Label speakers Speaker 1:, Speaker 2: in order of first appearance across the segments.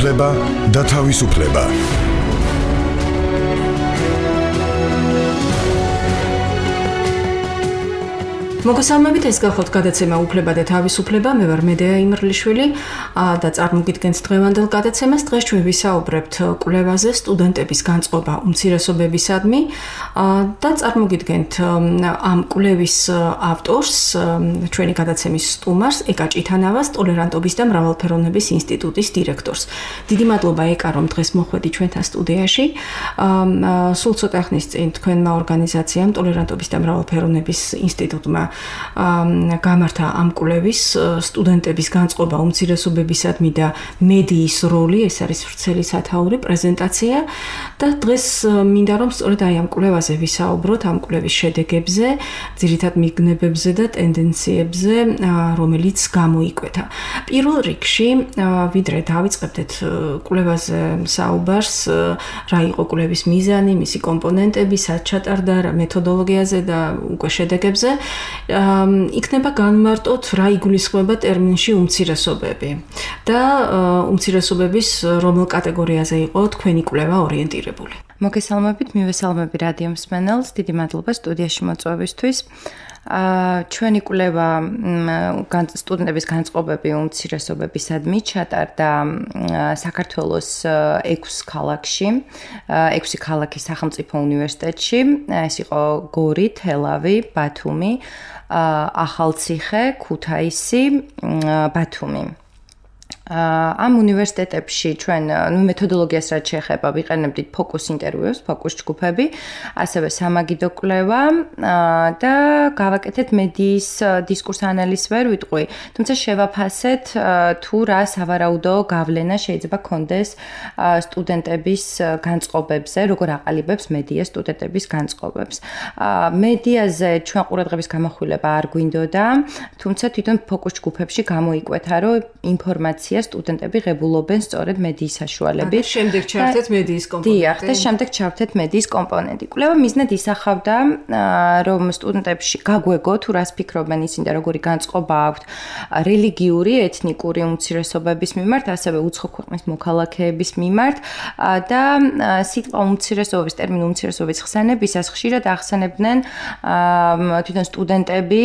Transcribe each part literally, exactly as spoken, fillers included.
Speaker 1: უფლება და თავისუფლება.
Speaker 2: მოგესალმებით, ეს გახლავთ გადაცემა უფლება და თავისუფლება. მე ვარ მედეა იმრლიშვილი და წარმოგიდგენთ დღევანდელ გადაცემას. დღეს ჩვენ ვისაუბრებთ კვლევაზე სტუდენტების განწყობა უმცირესობებისადმი და წარმოგიდგენთ ამ კვლევის ავტორს, ჩვენი გადაცემის სტუმარს, ეკა ჭითანავას, ტოლერანტობის და მრავალფეროვნების ინსტიტუტის დირექტორს. დიდი მადლობა ეკა, რომ დღეს მოხვედი ჩვენთან სტუდიაში. სულ ცოტა ხნის წინ თქვენმა ორგანიზაციამ ტოლერანტობის და მრავალფეროვნების ინსტიტუტმა გამართა ამ კვლევის სტუდენტების განწყობა უმცირესობებისადმი და მედიის როლი, ეს არის ვრცელი სათაური პრეზენტაცია და დღეს მინდა რომ სწორედ აი ამ კვლევაზე ვისაუბროთ, ამ კვლევის შედეგებზე, ძირითად მიგნებებზე და ტენდენციებზე, რომელიც გამოიკვეთა. პირველ რიგში, ვიდრე დავიწყებდეთ კვლევაზე საუბარს, რა იყო კვლევის მიზანი, მისი კომპონენტები, სად ჩატარდა, რა მეთოდოლოგიაზე და უკვე შედეგებზე, იქნება განმარტოთ რა იგულისხმება ტერმინში უმცირესობები და უმცირესობების რომელ კატეგორიაზე იყო თქვენი კვლევა ორიენტირებული.
Speaker 3: მოგესალმებით, მივესალმები რადიო მსმენელს, დიდი მადლობა სტუდიაში მოწვევისთვის. ჩვენი კვლევა სტუდენტების განწყობები უმცირესობებისადმი ჩატარდა საქართველოს ექვსი ქალაქში, ექვსი ქალაქის სახელმწიფო უნივერსიტეტში. ეს იყო გორი, თელავი, ბათუმი, ახალციხე, ქუთაისი, ბათუმი. ამ უნივერსიტეტებში ჩვენ მეთოდოლოგიას რაც შეეხება ვიყენებდით ფოკუს ინტერვიუს, ფოკუს ჯგუფები, ასევე სამაგიდო კვლევა და გავაკეთეთ მედიის დისკურს ანალიზს ვერ ვიტყვი, თუმცა შევაფასეთ თუ რა სავარაუდო გავლენა შეიძლება კონდეს სტუდენტების განწყობებზე, როგორ აყალიბებს მედია სტუდენტების განწყობებს. მედიაზე ჩვენ ყურადღების გამახვილება არ გვინდოდა, თუმცა თვითონ ფოკუს ჯგუფებში გამოიკვეთა, რომ ინფორმაცია სტუდენტები ღებულობენ სწორედ მედიის საშუალებით.
Speaker 2: და შემდეგ ჩავთეთ მედიის კომპონენტი.
Speaker 3: დიახ, და შემდეგ ჩავთეთ მედიის კომპონენტი. კვლევა მიზნად ისახავდა, რომ სტუდენტებში გაგვეგო თუ რას ფიქრობენ ისინი და როგორი განწყობა აქვთ რელიგიური, ეთნიკური უმცირესობების მიმართ, ასევე უცხო ქვეყნის მოქალაქეების მიმართ და სიტყვა უმცირესობის, ტერმინ უმცირესობის ხსენებისას ხშირად ახსენებდნენ თვითონ სტუდენტები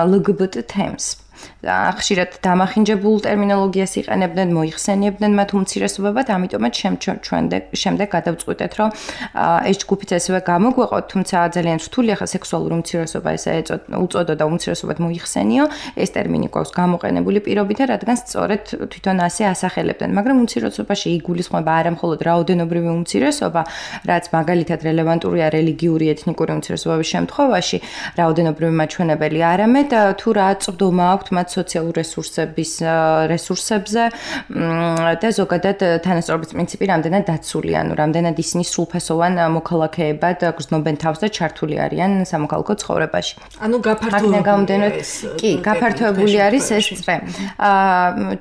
Speaker 3: ელ გი ბი ტი თემს. ხშირად დამახინჯებულ ტერმინოლოგიას იყენებდნენ, მოიხსენიებდნენ მათ უმცირესობებად, ამიტომაც შემდეგ გადავწყვიტეთ, რომ ეს ჯგუფიც ასევე გამოგვეყოთ, თუმცა ძალიან რთული ახლა სექსუალური უმცირესობა ესე უწოდოდა უმცირესობად მოიხსენიო, ეს ტერმინი გვაქვს გამოყენებული პირობითა, რადგან სწორედ თვითონ ასე ასახელებდნენ, მაგრამ უმცირესობაში იგულისხმება არა მხოლოდ რაოდენობრივი უმცირესობა, რაც მაგალითად რელევანტურია რელიგიური, ეთნიკური უმცირესობების შემთხვევაში, რაოდენობრივი მაჩვენებელი, არამედ თუ რა წვდომა აქვთ მათ სოციალურ რესურსების რესურსებზე და ზოგადად თანასწორობის პრინციპი რამდენად დაცული, ანუ რამდენად ისინი სრულფასოვან მოქალაქეებად გრძნობენ თავს და ჩართული არიან სამოქალაქო ცხოვრებაში.
Speaker 2: ანუ გაფართოებული
Speaker 3: კი, გაფართოებული არის ეს წრე.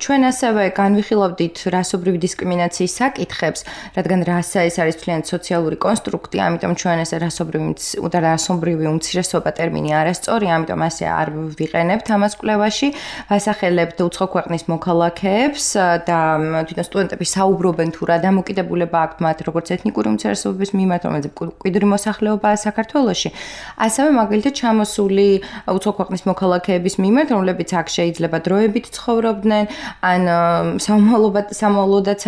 Speaker 3: ჩვენ ასევე განვიხილავდით რასობრივი დისკრიმინაციის საკითხებს, რადგან რასა ეს არის თლიანი სოციალური კონსტრუქტი, ამიტომ ჩვენ ეს რასობრივი და რასობრივი უმცირესობა ტერმინი არასწორი, ამიტომ ასე არ ვიყენებთ ამას კვლევაში. ვასახელებთ უცხო ქვეყნის მოქალაქეებს და თვითონ სტუდენტები საუბრობენ თუ რა დამოკიდებულება აქვთ მათ როგორც ეთნიკური უმცირესობების მიმართ, რომელიც მკვიდრი მოსახლეობაა საქართველოში, ასევე მაგალითად ჩამოსული უცხო ქვეყნის მოქალაქეების მიმართ, რომლებიც აქ შეიძლება დროებით ცხოვრობდნენ, ან სამომავლოდაც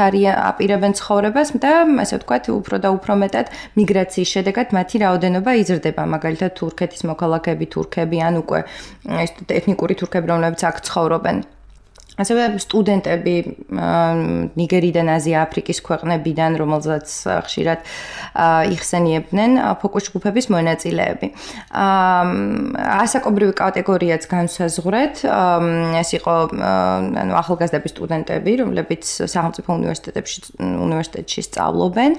Speaker 3: აპირებენ ცხოვრებას და ასე ვთქვათ, უფრო და უფრო მეტად მიგრაციის შედეგად მათი რაოდენობა იზრდება, მაგალითად თურქეთის მოქალაქეები, თურქები ან უკვე ეთნიკური თურქები, რომლებიც აქ ცხოვრობენ. ასევე სტუდენტები ნიგერიდან, აზია, აფრიკის ქვეყნებიდან, რომელზეც ხშირად იხსენიებდნენ ფოკუს ჯგუფების მონაწილეები. ასაკობრივი კატეგორიაც განსაზღვრეთ. ეს იყო ანუ ახალგაზრდები სტუდენტები, რომლებიც სახელმწიფო უნივერსიტეტებში უნივერსიტეტში სწავლობენ.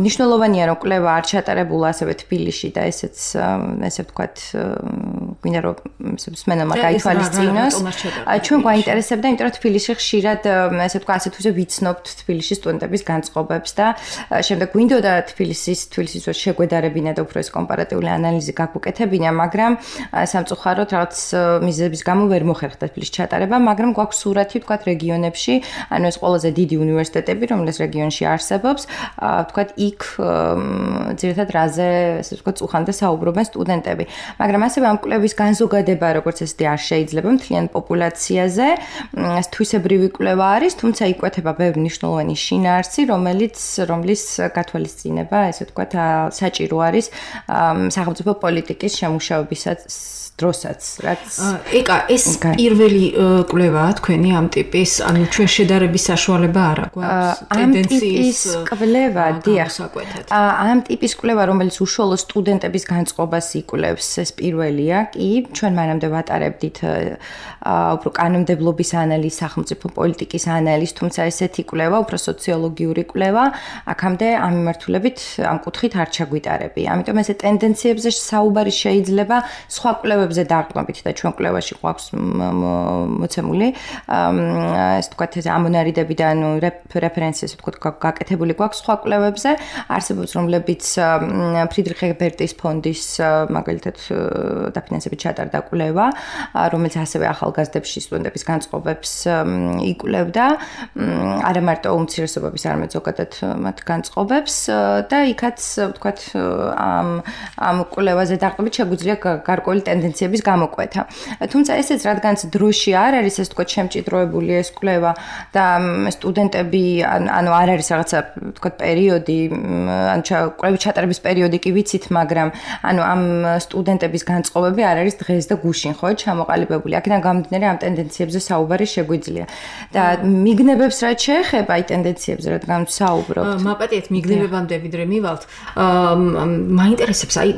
Speaker 3: მნიშვნელოვანია, რომ კვლევა არ ჩატარებულა ასევე თბილისში და ესეც ესე ვთქვათ გვინდა რომ მსმენელმა გაითვალისწინოს. ჩვენ გვაინტერესებდა, იმიტომ რომ თბილისში ხშირად ესე ვთქვა, ასე თუ ისე ვიცნობთ თბილისში სტუდენტების განწყობებს და შემდეგ გვინდოდა თბილისის თბილისის შეგვედარებინა და უფრო ეს კომპარატიული ანალიზი გაგვუკეთებინა, მაგრამ სამწუხაროდ რაღაც მიზეზების გამო ვერ მოხერხდა თბილისში ჩატარება, მაგრამ გვაქვს სურათი ვთქვა რეგიონებში, ანუ ეს ყველაზე დიდი უნივერსიტეტები, რომელიც რეგიონში არსებობს, ვთქვა იქ ძირითადად რაზე ესე ვთქვა უხანდა საუბრობენ სტუდენტები. მაგრამ ასევე ამ კვლევის განზოგადება, როგორც ესეთი არ შეიძლება მთლიან პოპულაციაზე, ეს თვისებრივი კვლევა არის, თუმცა იკვეთება ბევრი მნიშვნელოვანი შინაარსი, რომელიც რომლის გათვალისწინება, ესე ვთქვათ, საჭირო არის სახელმწიფო პოლიტიკის შემუშავებისაც დროსაც, რაც
Speaker 2: ეკა ეს პირველი კვლევაა თქვენი ამ ტიპის, ანუ ჩვენ შედარების საშუალება არ აქვს ტენდენციის
Speaker 3: კვლევა, დიახ. ამ ტიპის კვლევა, რომელიც უშუალო სტუდენტების განწყობას იკვლევს, ეს პირველია, კი, ჩვენ მანამდე ვატარებდით უფრო კანონმდებლობის ანალიზს, სახელმწიფო პოლიტიკის ანალიზს, თუმცა ესეთი კვლევა, უფრო სოციოლოგიური კვლევა, აქამდე ამ მიმართულებით ამ კუთხით არ ჩაგვიტარებია. ამიტომ ესე ტენდენციებზე საუბარი შეიძლება სხვა კვლევებზე დაყრდნობით და ჩვენ კვლევაში გვაქვს მოცემული ეს თქვათ ეს ამონარიდები და ანუ რეფერენციები თქვათ გაკეთებული გვაქვს სხვა კვლევებზე არსებობს რომლებიც ფრიდრიხ ებერტის ფონდის მაგალითად დაფინანსებით ჩატარდა კვლევა რომელიც ასევე ახალგაზრდებში სტუდენტების განწყობებს იკვლევდა არა მარტო უმცირესობების არამედ ზოგადად მათ განწყობებს და იქაც თქვათ ამ ამ კვლევაზე დაყრდნობით შეგვიძლია გარკვეული ტენდენციების გამოკვეთა. თუმცა ესეც რადგანაც დროში არ არის ეს თქვა შემჭიდროებული ეს კვლევა და სტუდენტები ანუ არ არის რაღაცა თქვა პერიოდი ან კვლევის ჩატარების პერიოდი კი ვიცით, მაგრამ ანუ ამ სტუდენტების განწყობები არ არის დღეს და გუშინ ხო ჩამოყალიბებული. აქედან გამომდინარე ამ ტენდენციებზე საუბარი შეგვიძლია. და მიგნებებს რაც შეეხება აი ტენდენციებზე რადგან საუბრობთ.
Speaker 2: მაპატიეთ მიგნებებამდე ვიდრე მივალთ. მაინტერესებს აი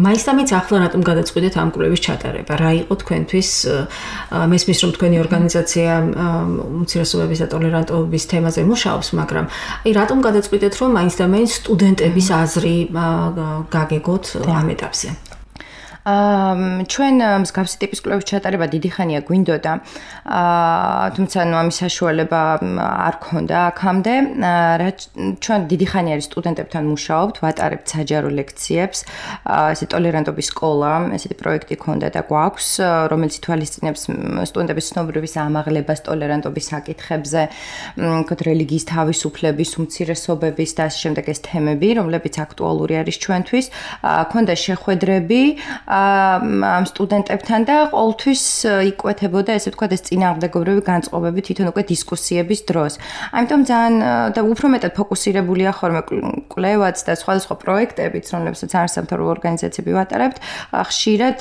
Speaker 2: მაინც ახლა რატომ გადაწყვიტეთ ამ კვლევის ჩატარება? რა იყო თქვენთვის მესმის რომ თქვენი ორგანიზაცია უმცირესობების და ტოლერანტობის თემაზე მუშაობს, მაგრამ აი რატომ გადაწყვიტეთ რომ მაინც და მაინც სტუდენტების აზრი გაგეგოთ ამ ეტაპზე?
Speaker 3: აა ჩვენ მსგავსი ტიპის კვლევის ჩატარება დიდი ხანია გვინდოდა. აა თუმცა ნუ ამის საშუალება არ ქონდა აქამდე. რა ჩვენ დიდი ხანი არის სტუდენტებთან მუშაობთ, ვატარებთ საჯარო ლექციებს. აა ესე ტოლერანტობის სკოლა, ესეთი პროექტი ქონდა და გვაქვს, რომელიც ითვალისწინებს სტუდენტების ცნობრივის ამაღლებას ტოლერანტობის საკითხებზე, თქო რელიგიის თავისუფლების, უმცირესობების და ასე შემდეგ ეს თემები, რომლებიც აქტუალური არის ჩვენთვის. აა ქონდა შეხვედრები ამ სტუდენტებთან და ყოველთვის იკვეთებოდა ესე ვთქვათ ეს წინააღმდეგობრივი განწყობები თვითონ უკვე დისკუსიების დროს. ამიტომ ძალიან და უფრო მეტად ფოკუსირებულია ხოლმე კვლევაც და სხვადასხვა პროექტებიც, რომლებსაც არასამთავრობო ორგანიზაციები ვატარებთ, ხშირად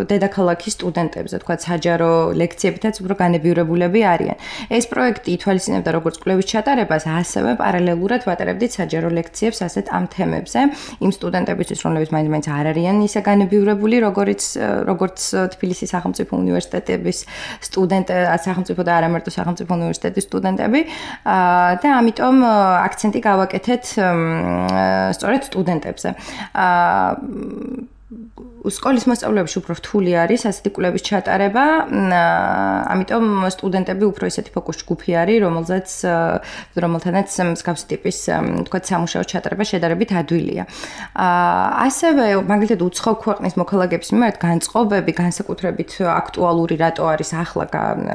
Speaker 3: დედაქალაქის სტუდენტებზე, ვთქვათ საჯარო ლექციებითაც უფრო განებიურებულები არიან. ეს პროექტი ითვალისწინებდა როგორც კვლევის ჩატარებას, ასევე პარალელურად ვატარებდით საჯარო ლექციებს ასეთ ამ თემებზე, იმ სტუდენტებისთვის, რომლებიც მაინც-მაინც არ არიან ისე განებიურებულები როგორც როგორც თბილისის სახელმწიფო უნივერსიტეტების სტუდენტები, სახელმწიფო და არა მარტო სახელმწიფო უნივერსიტეტის სტუდენტები და ამიტომ აქცენტი გავაკეთეთ სწორედ სტუდენტებზე. სკოლის მოსწავლეებში უფრო რთული არის ასეთი კვლევის ჩატარება, ამიტომ სტუდენტები უფრო ისეთი ფოკუს ჯგუფი არის, რომელზეც რომელთანაც მსგავსი ტიპის თქვათ სამუშაო ჩატარება შედარებით ადვილია. ასევე მაგალითად უცხო ქვეყნის მოქალაქეების მიმართ განწყობები განსაკუთრებით აქტუალური რატო არის ახლა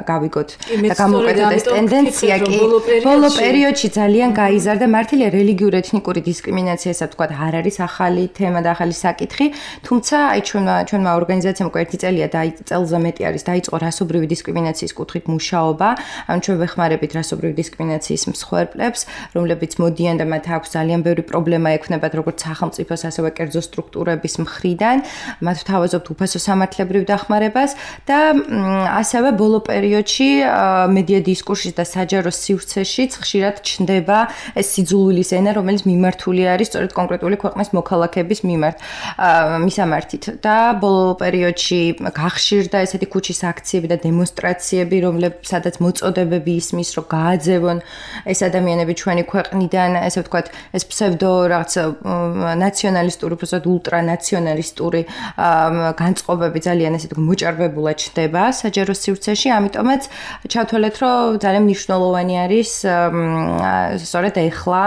Speaker 3: გავიგოთ და გამოკვეთოთ ეს ტენდენცია კი ბოლო პერიოდში ძალიან გაიზარდა მართალია რელიგიური ეთნიკური დისკრიმინაცია, ასე ვთქვათ, არ არის ახალი თემა და ახალი საკითხი, თუმცა აი ჩვენმა ჩვენმა ორგანიზაციამ უკვე ერთი წელია და წელზე მეტი არის დაიწყო რასობრივი დისკრიმინაციის კუთხით მუშაობა. ანუ ჩვენ ვეხმარებით რასობრივი დისკრიმინაციის მსხვერპლებს, რომლებიც მოდიან და მათ აქვს ძალიან ბევრი პრობლემა ექნებათ როგორც სახელმწიფოს, ასევე კერძო სტრუქტურების მხრიდან. მათ ვთავაზობთ უფასო სამართლებრივ დახმარებას და ასევე ბოლო პერიოდში მედია დისკურსში და საჯარო სივრცეშიც ხშირად ჩნდება ეს სიძულვილის ენა, რომელიც მიმართული არის სწორედ კონკრეტული ქვეყნის მოქალაქეების მიმართ, მისამართით. და ბოლო პერიოდში გახშირდა ესეთი ქუჩის აქციები და დემონსტრაციები, რომლებსაც მოწოდებები ისმის, რომ გააძევონ ეს ადამიანები ჩვენი ქვეყნიდან, ესე ვთქვათ, ეს ფსევდო რაღაც ნაციონალისტური, უბრალოდ ულტრანაციონალისტური განწყობები ძალიან ესე ვთქვათ, მოჭარბებულად ჩნდება საჯარო სივრცეში, ამიტომაც ჩავთვალეთ, რომ ძალიან მნიშვნელოვანი არის სწორედ ეხლა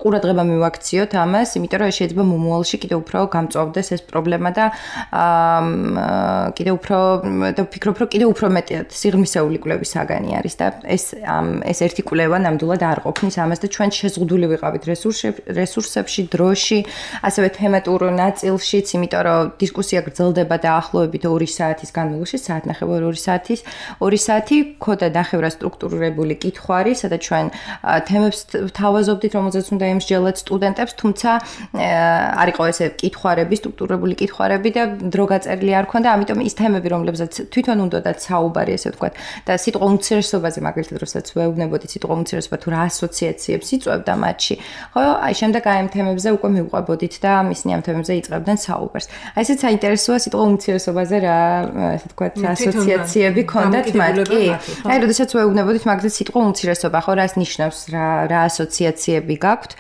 Speaker 3: ყურადღება მივაქციოთ ამას, იმიტომ რომ შეიძლება მომავალში კიდევ უფრო გამწვავდეს ეს პრობლემა და კიდევ უფრო და ვფიქრობ, რომ კიდევ უფრო მეტად სიღრმისეული კვლევის საგანი არის და ეს ეს ერთი კვლევა ნამდვილად არ ყოფნის ამას და ჩვენ შეზღუდული ვიყავით რესურსებში, დროში, ასევე თემატურ ნაწილშიც, იმიტომ რომ დისკუსია გრძელდება დაახლოებით ორი საათის განმავლობაში, საათნახევარი ორი საათის, ორი საათი ქოდა ნახევრად სტრუქტურირებული კითხვარი, სადაც ჩვენ თემებს თავაზობდით, რომელზეც უნდა ემსჯელოთ სტუდენტებს, თუმცა არ იყო ესე კითხვარები, სტრუქტურირებული კითხვარები და დრო გაწერილი არ ქონდა, ამიტომ ის თემები, რომლებზეც თვითონ უნდათ საუბარი, ესე ვთქვათ, და სიტყვა უმცირესობაზე, მაგალითად, როდესაც ვეუბნებოდი სიტყვა უმცირესობა თუ რა ასოციაციებს იწვევდა მათში, ხო, აი შემდეგ აი ამ თემებზე უკვე მივყვებოდით და ისინი ამ თემებზე იწყებდნენ საუბარს. აი ესეც საინტერესოა სიტყვა უმცირესობაზე რა, ესე ვთქვათ, ასოციაციები ქონდათ მათ, კი? აი როდესაც ვეუბნებოდით მაგალითად სიტყვა უმცირესობა, ხო, რას ნიშნავს, რა რა ასოციაციები გაქვთ,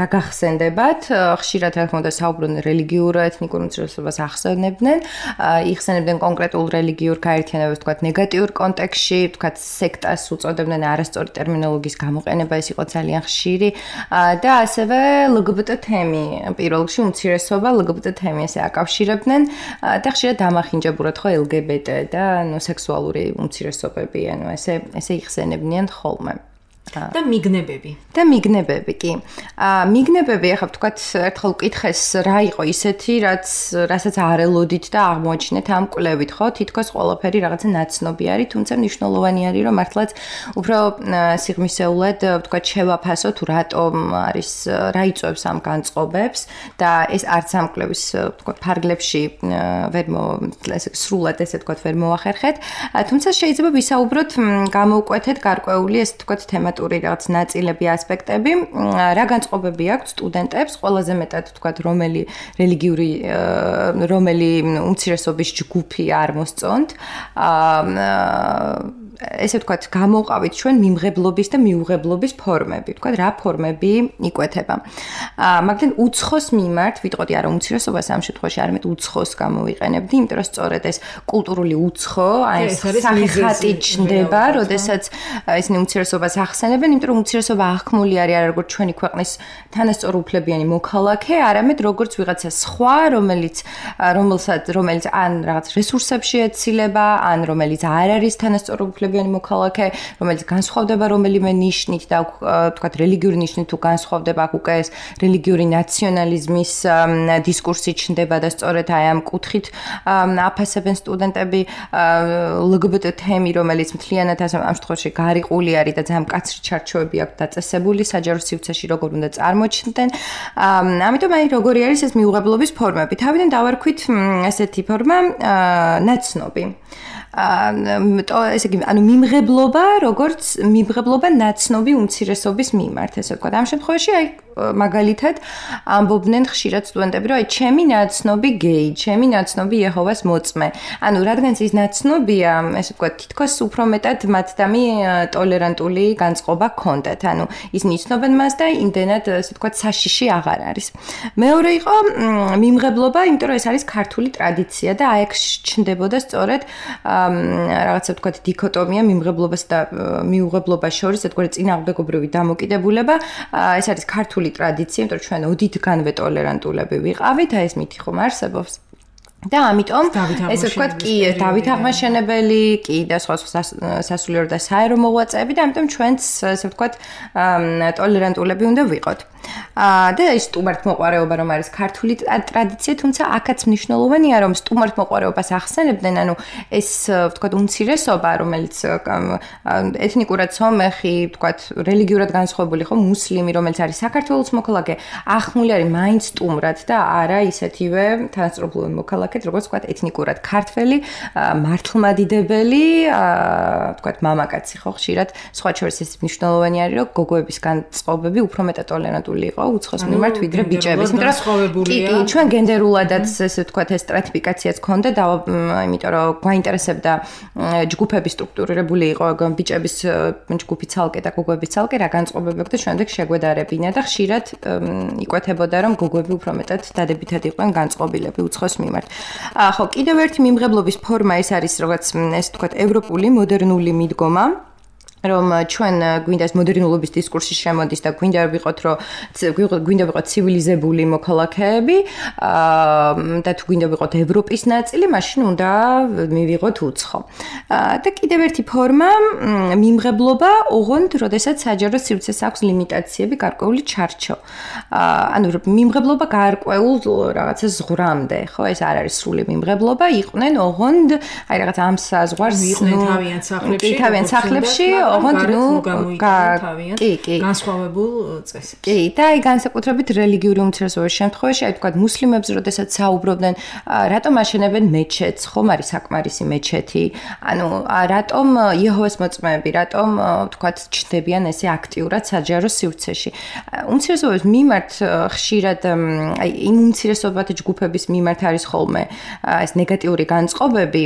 Speaker 3: რა გახსენდებათ, ხშირად რა თქმა უნდა საუბრობენ რელიგიურ ეთნიკურ უმცირესობას ახსენებდნენ, იხსენებდნენ კონკრეტულ რელიგიურ გაერთიანებას, ვთქვათ, ნეგატიურ კონტექსტში, ვთქვათ, სექტას უწოდებდნენ არასწორი ტერმინოლოგიის გამოყენება, ეს იყო ძალიან ხშირი და ასევე ლგბტ თემი, პირველ რიგში უმცირესობა, ლგბტ თემი ესე აკავშირებდნენ და ხშირად დამახინჯებურად ხო ლგბტ და ნუ სექსუალური უმცირესობები, ანუ ესე ესე იხსენებდნენ ხოლმე.
Speaker 2: და მიგნებები.
Speaker 3: და მიგნებები, კი. აა მიგნებები, ახლა ვთქვათ, ერთხელ ვკითხეს, რა იყო ისეთი, რაც რასაც არ ელოდით და აღმოაჩინეთ ამ კვლევით, ხო? თითქოს ყველაფერი რაღაცა ნაცნობი არის, თუმცა მნიშვნელოვანი არის, რომ მართლაც უფრო სიღრმისეულად, ვთქვათ, შევაფასოთ, თუ რატომ არის, რა იწვევს ამ განწყობებს და ეს არც ამ კვლევის, ვთქვათ, ფარგლებში ვერ ესე სრულად ესე ვთქვათ, ვერ მოახერხეთ, თუმცა შეიძლება ვისაუბროთ, გამოვკვეთეთ გარკვეული ეს ვთქვათ, თემატური რაღაც ნაწილები, ასპექტები, რა განწყობები აქვს სტუდენტებს, ყველაზე მეტად ვთქვათ, რომელი რელიგიური, რომელი უმცირესობის ჯგუფი არ მოსწონთ. აა ესე ვთქვათ, გამოვყავით ჩვენ მიმღებლობის და მიუღებლობის ფორმები, ვთქვათ, რა ფორმები იკვეთება. აა მაგალითად, უცხოს მიმართ, ვიტყოდი არა უმცირესობას ამ შემთხვევაში, არამედ უცხოს გამოვიყენებდი, იმიტომ რომ სწორედ ეს კულტურული უცხო, აი ეს სახეხატი ჩნდება, როდესაც ისინი უმცირესობას ახსენებენ, იმიტომ რომ უმცირესობა აღქმული არის არა როგორც ჩვენი ქვეყნის თანასწორუფლებიანი მოქალაქე, არამედ როგორც ვიღაცა სხვა, რომელიც რომელსაც რომელიც ან რაღაც რესურსებში ეცილება, ან რომელიც არ არის თანასწორუფლებიანი მოქალაქე, რომელიც განსხვავდება რომელიმე ნიშნით და ვთქვათ რელიგიური ნიშნით თუ განსხვავდება, აქ უკვე ეს რელიგიური ნაციონალიზმის დისკურსი ჩნდება და სწორედ აი ამ კუთხით აფასებენ სტუდენტები ლგბტ თემი, რომელიც მთლიანად ამ შემთხვევაში გარიყული არის და ძალიან მკაცრი ჩარჩოები აქვს დაწესებული საჯარო სივრცეში როგორ უნდა წარმოჩნდნენ. ამიტომ აი როგორი არის ეს მიუღებლობის ფორმები. თავიდან დავარქვით ესეთი ფორმა ნაცნობი. აა ესე იგი, ანუ მიმღებლობა, როგორც მიმღებლობა ნაცნობი უმცირესობის მიმართ, ესე ვთქვათ. ამ შემთხვევაში აი მაგალითად ამბობდნენ ხშირად სტუდენტები, რომ აი ჩემი ნაცნობი გეი, ჩემი ნაცნობი იეჰოვას მოწმე. ანუ რადგანაც ის ნაცნობია, ესე ვთქვათ, თითქოს უფრო მეტად მათდამი ტოლერანტული განწყობა ჰქონდათ. ანუ ისინი იცნობენ მას და იმდენად, ესე ვთქვათ, საშიში აღარ არის. მეორე იყო მიმღებლობა, იმიტომ რომ ეს არის ქართული ტრადიცია და აი აქ ჩნდებოდა სწორედ რაღაცა ვთქვათ დიქოტომია მიმღებლობას და მიუღებლობას შორის, ერთგვარი წინააღმდეგობრივი დამოკიდებულება. ეს არის ქართული ტრადიცია, იმიტომ რომ ჩვენ ოდითგანვე ტოლერანტულები ვიყავით, აი ეს მითი ხომ არსებობს. და ამიტომ ესე ვთქვათ, კი, დავით აღმაშენებელი, კი და სხვა სხვა სასულიერო და საერო მოღვაწეები და ამიტომ ჩვენც ესე ვთქვათ ტოლერანტულები უნდა ვიყოთ. და ეს სტუმართმოყვარეობა რომ არის ქართული ტრადიცია, თუმცა აქაც მნიშვნელოვანია რომ სტუმართმოყვარეობას ახსენებდნენ, ანუ ეს ვთქვათ უმცირესობა, რომელიც ეთნიკურად სომეხი, ვთქვათ რელიგიურად განსხვავებული ხო, მუსლიმი, რომელიც არის საქართველოს მოქალაქე, ახმული არის მაინც სტუმრად და არა ისეთივე თანასწორუფლებიანი მოქალაქე მოქალაქედ, როგორც ვთქვათ, ეთნიკურად ქართველი, მართლმადიდებელი, ვთქვათ, მამაკაცი ხო ხშირად, სხვა შორის ეს მნიშვნელოვანი არის, რომ გოგოების განწყობები უფრო მეტად ტოლერანტული იყო უცხოს მიმართ, ვიდრე ბიჭების.
Speaker 2: იმიტომ რომ
Speaker 3: კი, კი, ჩვენ გენდერულადაც ესე ვთქვათ, ეს სტრატიფიკაციაც ქონდა და იმიტომ რომ გვაინტერესებდა ჯგუფების სტრუქტურირებული იყო ბიჭების ჯგუფი ცალკე და გოგოების ცალკე რა განწყობები აქვს და შემდეგ შეგვედარებინა და ხშირად იკვეთებოდა რომ გოგოები უფრო მეტად დადებითად იყვნენ განწყობილები უცხოს მიმართ. ხო, კიდევ ერთი მიმღებლობის ფორმა ეს არის რაღაც ეს ვთქვათ ევროპული მოდერნული მიდგომა რომ ჩვენ გვინდა მოდერნულობის დისკურსში შემოდის და გვინდა ვიყოთ რომ გვინდა ვიყოთ ცივილიზებული მოქალაქეები და თუ გვინდა ვიყოთ ევროპის ნაწილი, მაშინ უნდა მივიღოთ უცხო. და კიდევ ერთი ფორმა მიმღებლობა, ოღონდ როდესაც საჯარო სივრცეს აქვს ლიმიტაციები, გარკვეული ჩარჩო. ანუ მიმღებლობა გარკვეულ რაღაცა ზღვრამდე, ხო, ეს არ არის სრული მიმღებლობა, იყვნენ ოღონდ აი რაღაც ამ საზღვარს
Speaker 2: იყვნენ თავიანთ სახლებში,
Speaker 3: თავიანთ სახლებში ოღონდ ნუ
Speaker 2: კი, კი, განსხვავებულ წესებს.
Speaker 3: კი, და აი განსაკუთრებით რელიგიური უმცირესობის შემთხვევაში, აი თქვა მუსლიმებს, როდესაც საუბრობდნენ, რატომ აშენებენ მეჩეთს, ხომ არის საკმარისი მეჩეთი? ანუ რატომ იეჰოვას მოწმეები, რატომ თქვა ჩნდებიან ესე აქტიურად საჯარო სივრცეში? უმცირესობის მიმართ ხშირად აი იმ უმცირესობათა ჯგუფების მიმართ არის ხოლმე ეს ნეგატიური განწყობები,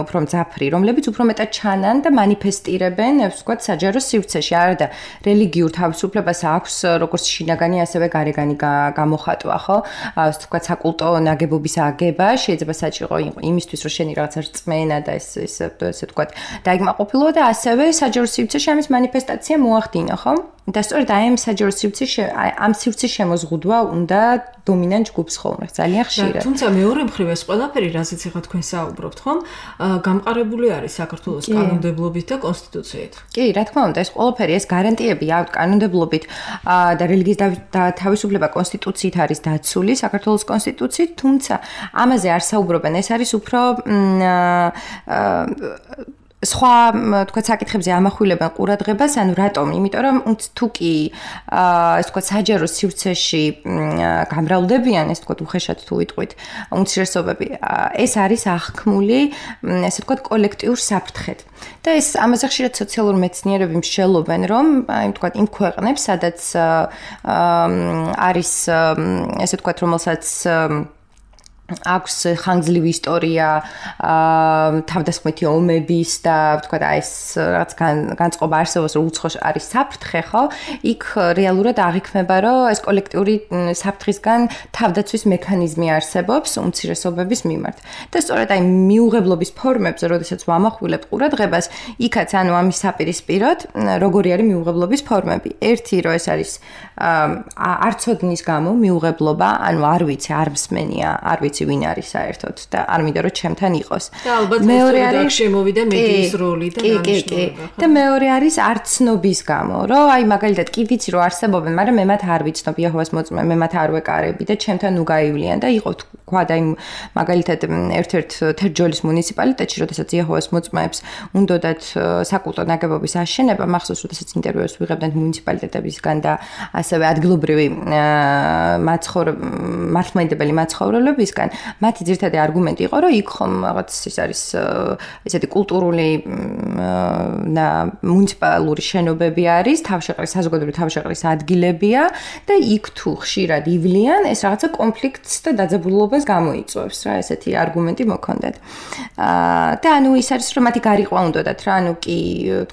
Speaker 3: უფრო მძაფრი, რომლებიც უფრო მეტად ჩანან და მანიფესტირებენ, ვთქვა საჯარო სივრცეში, არა და რელიგიურ თავისუფლებას აქვს როგორც შინაგანი, ასევე გარეგანი გამოხატვა, ხო? ვთქვა საკულტო ნაგებობის აგება შეიძლება საჭირო იმისთვის, რომ შენი რაღაცა რწმენა და ეს ეს ესე ვთქვა დაიგმაყოფილო და ასევე საჯარო სივრცეში ამის მანიფესტაცია მოახდინა, ხო? და სწორედ აი ამ საჯარო სივრცეში ამ სივრცის შემოზღუდვა უნდა დომინანტ ჯგუფს ხოლმე ძალიან ხშირად.
Speaker 2: თუმცა მეორე მხრივ ეს ყველაფერი, რაზეც ახლა თქვენ საუბრობთ, ხომ? გამყარებული არის საქართველოს კანონმდებლობით და კონსტიტუციით.
Speaker 3: კი, რა თქმა უნდა, ეს ყველაფერი, ეს გარანტიები აქვს კანონმდებლობით და რელიგიის თავისუფლება კონსტიტუციით არის დაცული, საქართველოს კონსტიტუციით, თუმცა ამაზე არ საუბრობენ, ეს არის უფრო სხვა თქვა საკითხებზე ამახვილებენ ყურადღებას, ანუ რატომ? იმიტომ რომ თუ კი ეს თქვა საჯარო სივრცეში გამრავლდებიან, ეს თქვა უხეშად თუ ვიტყვით, უმცირესობები, ეს არის აღქმული, ესე თქვა კოლექტიურ საფრთხედ. და ეს ამაზე ხშირად სოციალური მეცნიერები მსჯელობენ, რომ აი თქვა იმ ქვეყნებს, სადაც არის ესე თქვა რომელსაც აქვს ხანგრძლივი ისტორია, თავდასხმითი ომების და ვთქვათ, აი ეს რაღაც განწყობა არსებობს, რომ უცხო არის საფრთხე, ხო? იქ რეალურად აღიქმება, რომ ეს კოლექტიური საფრთხისგან თავდაცვის მექანიზმი არსებობს უმცირესობების მიმართ. და სწორედ აი მიუღებლობის ფორმებზე, როდესაც ვამახვილებთ ყურადღებას, იქაც ანუ ამის საპირისპიროდ, როგორი არის მიუღებლობის ფორმები. ერთი, რომ ეს არის არცოდნის გამო მიუღებლობა, ანუ არ ვიცი, არ მსმენია, არ ვიცი ვინ არის საერთოდ და არ მინდა რომ ჩემთან იყოს.
Speaker 2: და ალბათ მეორე არის შემოვიდა მედიის როლი და
Speaker 3: დანიშნულება. და მეორე არის არცნობის გამო, რომ აი მაგალითად კი ვიცი რომ არსებობენ, მაგრამ მე მათ არ ვიცნობ იეჰოვას მოწმე, მე მათ არ ვეკარები და ჩემთან ნუ გაივლიან და იყო თქვა და იმ მაგალითად ერთ-ერთ თერჯოლის მუნიციპალიტეტში, როდესაც იეჰოვას მოწმეებს უნდათ საკულტო ნაგებობის აშენება, მახსოვს როდესაც ინტერვიუებს ვიღებდნენ მუნიციპალიტეტებისგან და ასევე ადგილობრივი მაცხოვრებელი მართლმადიდებელი მაცხოვრებლებისგან მათი ძირითადი არგუმენტი იყო, რომ იქ ხომ რაღაც ის არის ესეთი კულტურული და მუნიციპალური შენობები არის, თავშეყრის საზოგადოებრივი თავშეყრის ადგილებია და იქ თუ ხშირად ივლიან, ეს რაღაცა კონფლიქტს და დაძაბულობას გამოიწვევს, რა, ესეთი არგუმენტი მოქონდათ. და ანუ ის არის, რომ მათი გარიყვა უნდათ რა, ანუ კი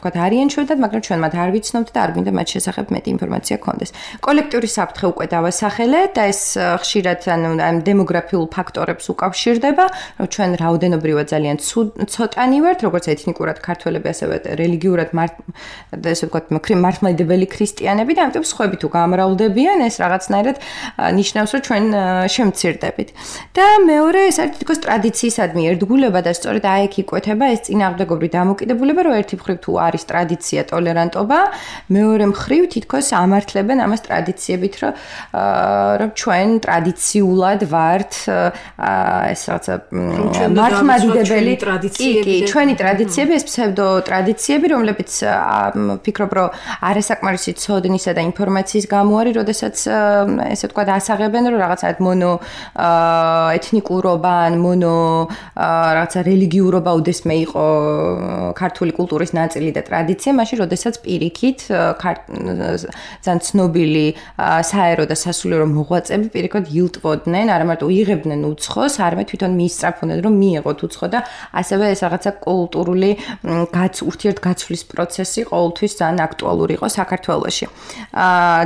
Speaker 3: თქვათ არიან ჩვენთან, მაგრამ ჩვენ მათ არ ვიცნობთ და არ გვინდა მათ შესახებ მეტი ინფორმაცია გქონდეს. კოლექტიური საფრთხე უკვე დავასახელეთ და ეს ხშირად ანუ ამ დემოგრაფიულ ფაქტორებს უკავშირდება, რომ ჩვენ რაოდენობრივად ძალიან ცოტანი ვართ, როგორც ეთნიკურად ქართველები, ასევე რელიგიურად ესე ვთქვათ, მართლმადიდებელი ქრისტიანები და ამიტომ სხვები თუ გამრავლდებიან, ეს რაღაცნაირად ნიშნავს, რომ ჩვენ შემცირდებით. და მეორე ეს არის თითქოს ტრადიციისადმი ერთგულება და სწორედ აი იქ იკვეთება ეს წინააღმდეგობრივი დამოკიდებულება, რომ ერთი მხრივ თუ არის ტრადიცია, ტოლერანტობა, მეორე მხრივ თითქოს ამართლებენ ამას ტრადიციებით, რომ რომ ჩვენ ტრადიციულად ვართ ეს რაღაცა მართლმადიდებელი ტრადიციები, ჩვენი ტრადიციები, ეს ფსევდო ტრადიციები, რომლებიც ფიქრობ, რომ არასაკმარისი ცოდნისა და ინფორმაციის გამო არის, როდესაც ესე ვთქვათ, ასაღებენ, რომ რაღაცა მონო ეთნიკურობა ან მონო რაღაცა რელიგიურობა უდესმე იყო ქართული კულტურის ნაწილი და ტრადიცია, მაშინ როდესაც პირიქით ძალიან ცნობილი საერო და სასულიერო მოღვაწეები პირიქით ილტვოდნენ, არა მარტო იღებდნენ უცხოს, არამედ თვითონ მიისწრაფოდნენ, რომ მიეღოთ უცხო და ასევე ეს რაღაცა კულტურული ურთიერთგაცვლის პროცესი ყოველთვის ძალიან აქტუალური იყო საქართველოში.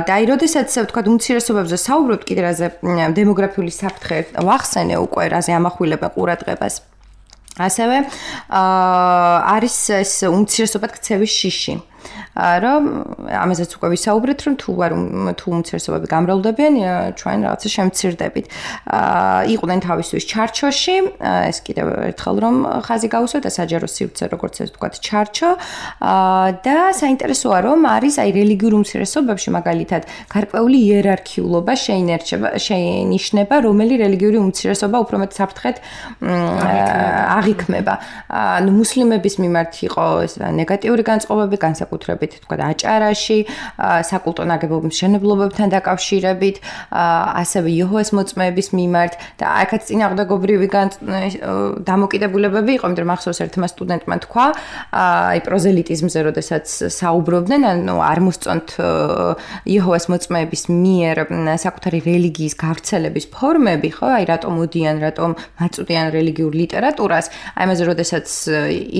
Speaker 3: და აი, როდესაც ვთქვათ, უმცირესობებზე საუბრობთ, კიდე რაზე დემოგრაფიული საფრთხე ვახსენე უკვე, რაზე ამახვილებენ ყურადღებას. ასევე არის ეს უმცირესობად ქცევის შიში. რომ ამაზეც უკვე ვისაუბრეთ, რომ თუ არ თუ უმცირესობები გამრავლდებიან, ჩვენ რაღაცა შემცირდებით. იყვნენ თავისთვის ჩარჩოში, ეს კიდევ ერთხელ რომ ხაზი გავუსვათ და საჯარო სივრცე, როგორც ეს ვთქვათ, ჩარჩო და საინტერესოა, რომ არის აი რელიგიურ უმცირესობებში მაგალითად გარკვეული იერარქიულობა შეინერჩება, შეინიშნება, რომელი რელიგიური უმცირესობა უფრო მეტ საფრთხეთ აღიქმება. ანუ მუსლიმების მიმართ იყო ეს ნეგატიური განწყობები, განსაკუთრებით თქვა აჭარაში, საკულტო ნაგებობის მშენებლობებთან დაკავშირებით, ასევე იეჰოვის მოწმეების მიმართ და აქაც წინააღმდეგობრივი დამოკიდებულებები იყო, იმიტომ რომ ახსოვს ერთმა სტუდენტმა თქვა, აი პროზელიტიზმზე როდესაც საუბრობდნენ, ანუ არ მოსწონთ იეჰოვის მოწმეების მიერ საკუთარი რელიგიის გავრცელების ფორმები, ხო, აი რატომ მოდიან, რატომ მაწვდიან რელიგიურ ლიტერატურას, აი ამაზე როდესაც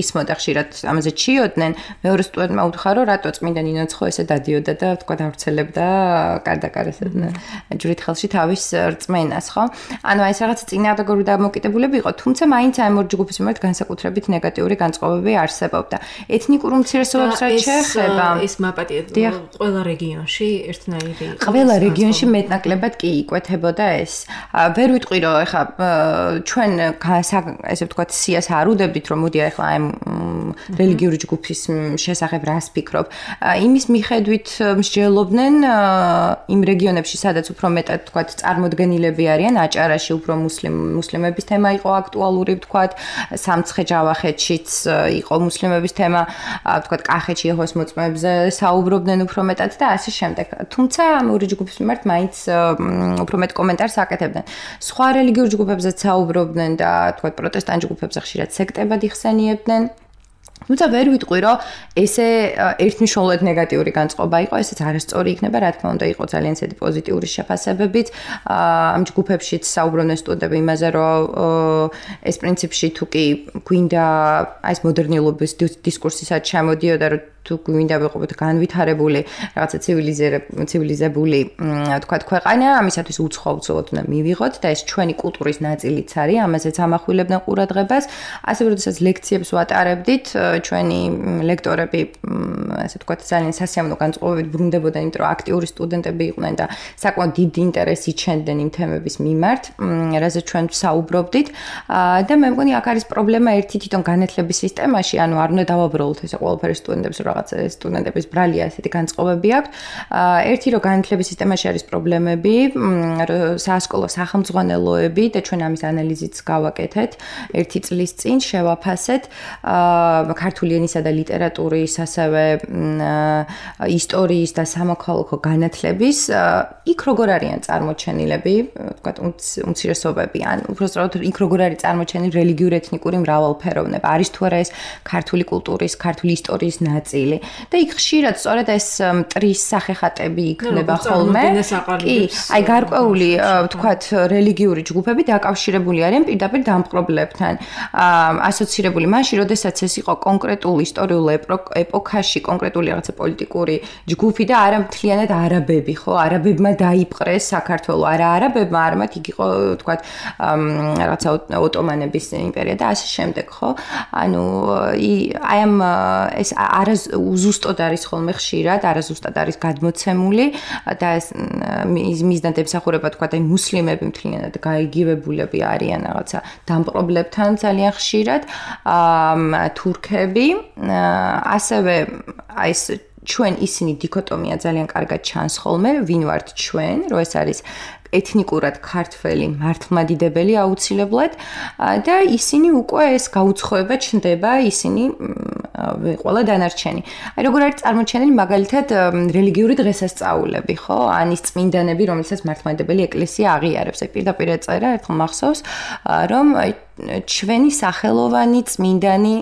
Speaker 3: ისმოდა ხშირად ამაზე ჩიოდნენ, მეორე სტუდენტმა უთხრა, რომ რატო წმინდა ნინოცხო ესე დადიოდა და თქვა დავრცელებდა კარდაკარეს ჯვრით ხელში თავის რწმენას, ხო? ანუ აი ეს რაღაც წინააღმდეგობრივი დამოკიდებულება იყო, თუმცა მაინც აი ამ ორ ჯგუფის მიმართ განსაკუთრებით ნეგატიური განწყობები არსებობდა. ეთნიკურ უმცირესობებს რაც შეეხება,
Speaker 2: ეს მაპატია ყველა რეგიონში ერთნაირი იყო.
Speaker 3: ყველა რეგიონში მეტნაკლებად კი იკვეთებოდა ეს. ვერ ვიტყვი რომ ეხლა ჩვენ ესე ვთქვათ სიას არ უდებდით რომ მოდი ეხლა აი რელიგიური ჯგუფის შესახებ რას ფიქრობ. იმის მიხედვით მსჯელობდნენ იმ რეგიონებში, სადაც უფრო მეტად თქვათ წარმოდგენილები არიან, აჭარაში უფრო მუსლიმების თემა იყო აქტუალური, თქვათ, სამცხე-ჯავახეთშიც იყო მუსლიმების თემა, თქვათ, კახეთში იეჰოვის მოწმეებზე საუბრობდნენ უფრო მეტად და ასე შემდეგ. თუმცა ამ ორი ჯგუფის მიმართ მაინც უფრო მეტ კომენტარს აკეთებდნენ. სხვა რელიგიურ ჯგუფებზეც საუბრობდნენ და თქვათ, პროტესტანტ ჯგუფებზე ხშირად სექტებად იხსენიებდნენ. თუმცა ვერ ვიტყვი, რომ ესე ერთმნიშვნელოვნად ნეგატიური განწყობა იყო, ესეც არასწორი იქნება, რა თქმა უნდა, იყო ძალიან ცედი პოზიტიური შეფასებებიც. ამ ჯგუფებშიც საუბრობდნენ სტუდენტები იმაზე, რომ ეს პრინციპში თუ კი გვინდა აი ეს მოდერნულობის დისკურსისაც ჩამოდიოდა, რომ თუ გვინდა ვიყოთ განვითარებული, რაღაცა ცივილიზებული, თქვათ, ქვეყანა, ამისათვის უცხო უცხოდ უნდა მივიღოთ და ეს ჩვენი კულტურის ნაწილიც არის, ამაზეც ამახვილებდნენ ყურადღებას. ასევე როდესაც ლექციებს ვატარებდით, ჩვენი ლექტორები, ასე ვთქვათ, ძალიან სასიამოვნო განწყობებით ბრუნდებოდნენ, იმიტომ რომ აქტიური სტუდენტები იყვნენ და საკმაოდ დიდი ინტერესი იჩენდნენ იმ თემების მიმართ, რაზეც ჩვენ საუბრობდით. და მე მგონი აქ არის პრობლემა ერთი თვითონ განათლების სისტემაში, ანუ არ უნდა დავაბრალოთ ესე ყველაფერი სტუდენტებს, რომ რაღაცა სტუდენტების ბრალია ესეთი განწყობები აქვს. ერთი რომ განათლების სისტემაში არის პრობლემები, საასკოლო სახელმძღვანელოები და ჩვენ ამის ანალიზიც გავაკეთეთ ერთი წლის წინ შევაფასეთ ქართული ენისა და ლიტერატურის, ასევე ისტორიის და სამოქალაქო განათლების, იქ როგორ არიან წარმოჩენილები, ვთქვათ, უმცირესობები, ან უბრალოდ იქ როგორ არის წარმოჩენილი რელიგიური ეთნიკური მრავალფეროვნება, არის თუ არა ეს ქართული კულტურის, ქართული ისტორიის ნაწილი. და იქ ხშირად სწორედ ეს მტრის სახეხატები იქნება ხოლმე. კი, აი გარკვეული, ვთქვათ, რელიგიური ჯგუფები დაკავშირებული არიან პირდაპირ დამპყრობლებთან, ასოცირებული მაშინ, როდესაც ეს იყო კონკრეტულ ისტორიულ ეპოქაში, კონკრეტული რაღაცა პოლიტიკური ჯგუფი და არა მთლიანად არაბები, ხო? არაბებმა დაიპყრეს საქართველო, არა არაბებმა, არამედ იქ იყო, ვთქვათ, რაღაცა ოტომანების იმპერია და ასე შემდეგ, ხო? ანუ აი ამ ეს არა უზუსტად არის ხოლმე ხშირად, არაზუსტად არის გადმოცემული და ეს მიზნად ემსახურება, თქვათ, აი მუსლიმები მთლიანად გაიგივებულები არიან რაღაცა დამპყრობლებთან ძალიან ხშირად, თურქები, ასევე აი ეს ჩვენ ისინი დიქოტომია ძალიან კარგად ჩანს ხოლმე, ვინ ვართ ჩვენ, რომ ეს არის ეთნიკურად ქართველი მართლმადიდებელი აუცილებლად და ისინი უკვე ეს გაუცხოება ჩნდება, ისინი ყველა დანარჩენი. აი როგორ არის წარმოჩენილი მაგალითად რელიგიური დღესასწაულები, ხო? ან ის წმინდანები, რომელსაც მართლმადიდებელი ეკლესია აღიარებს. აი პირდაპირ ეწერა ერთხელ მახსოვს, რომ ჩვენი სახელოვანი წმინდანი,